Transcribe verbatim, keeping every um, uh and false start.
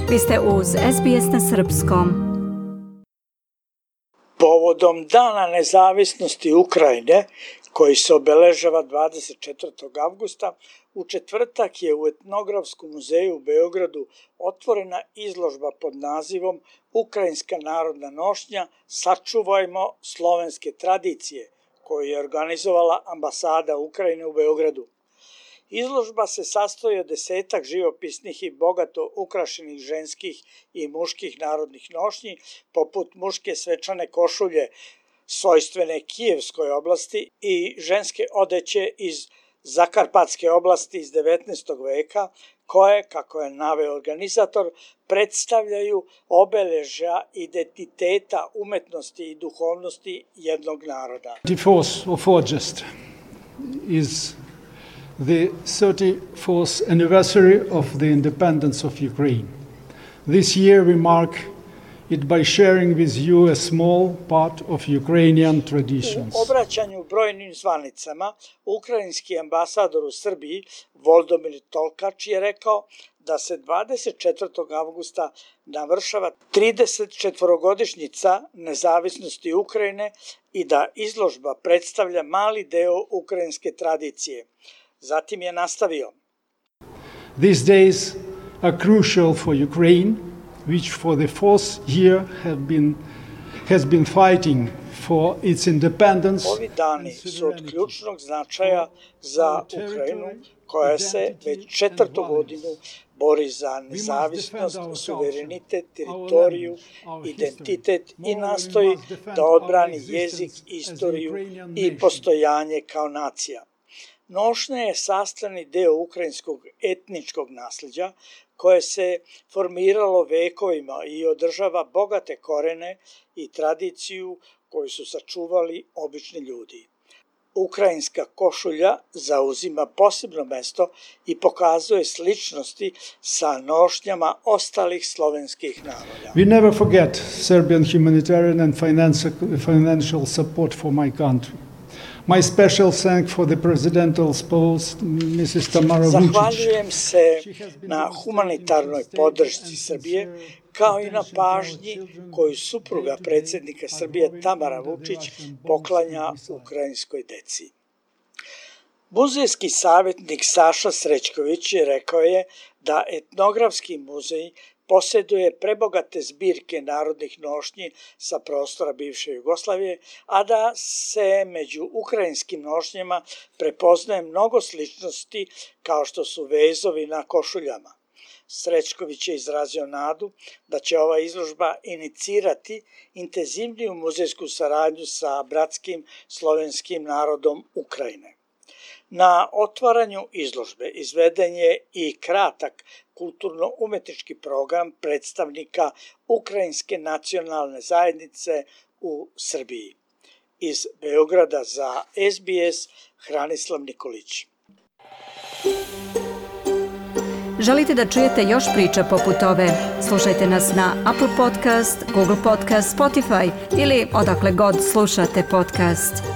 Vi ste uz S B S na srpskom. Povodom Dana nezavisnosti Ukrajine, koji se obeležava dvadeset četvrtog avgusta, u četvrtak je u Etnografskom muzeju u Beogradu otvorena izložba pod nazivom Ukrajinska narodna nošnja Sačuvajmo slovenske tradicije, koju je organizovala ambasada Ukrajine u Beogradu. Izložba se sastoji od desetak živopisnih i bogato ukrašenih ženskih i muških narodnih nošnji, poput muške svečane košulje svojstvene Kijevskoj oblasti i ženske odeće iz Zakarpatske oblasti iz devetnaestog veka, koje, kako je naveo organizator, predstavljaju obeležja identiteta, umetnosti i duhovnosti jednog naroda. thirty-fourth of August is the thirty-fourth anniversary of the independence of Ukraine. This year we mark it by sharing with you a small part of Ukrainian traditions. U obraćanju brojnim zvanicama, ukrajinski ambasador u Srbiji, Voldomir Tolkač, je rekao da se dvadeset četvrtog avgusta navršava tridesetčetvorogodišnjica nezavisnosti Ukrajine i da izložba predstavlja mali deo ukrajinske tradicije. Zatim je nastavio. These days are crucial for Ukraine, which for the fourth year have been, has been fighting for its independence. Ovi dani su od ključnog značaja za Ukrajinu, koja se već četvrtu godinu bori za nezavisnost, suverenitet, teritoriju, identitet i nastoji da odbrani jezik, istoriju i postojanje kao nacija. Nošnja je sastavni deo ukrajinskog etničkog nasljeđa koje se formiralo vekovima i održava bogate korene i tradiciju koju su sačuvali obični ljudi. Ukrajinska košulja zauzima posebno mesto i pokazuje sličnosti sa nošnjama ostalih slovenskih naroda. We never forget Serbian humanitarian and financial support for my country. My special thanks for the presidential spouse, Missus Tamara Vučić. Zahvaljujem se na humanitarnoj podršci Srbije, kao i na pažnji koju supruga predsjednika Srbije Tamara Vučić poklanja ukrajinskoj deci. Muzejski savjetnik Saša Srećković rekao je da Etnografski muzej posjeduje prebogate zbirke narodnih nošnji sa prostora bivše Jugoslavije, a da se među ukrajinskim nošnjama prepoznaje mnogo sličnosti kao što su vezovi na košuljama. Srećković je izrazio nadu da će ova izložba inicirati intenzivniju muzejsku saradnju sa bratskim slovenskim narodom Ukrajine. Na otvaranju izložbe izveden je i kratak kulturno-umetnički program predstavnika Ukrajinske nacionalne zajednice u Srbiji. Iz Beograda za S B S, Hranislav Nikolić. Želite da čujete još priča poput ove? Slušajte nas na Apple Podcast, Google Podcast, Spotify ili odakle god slušate podcast.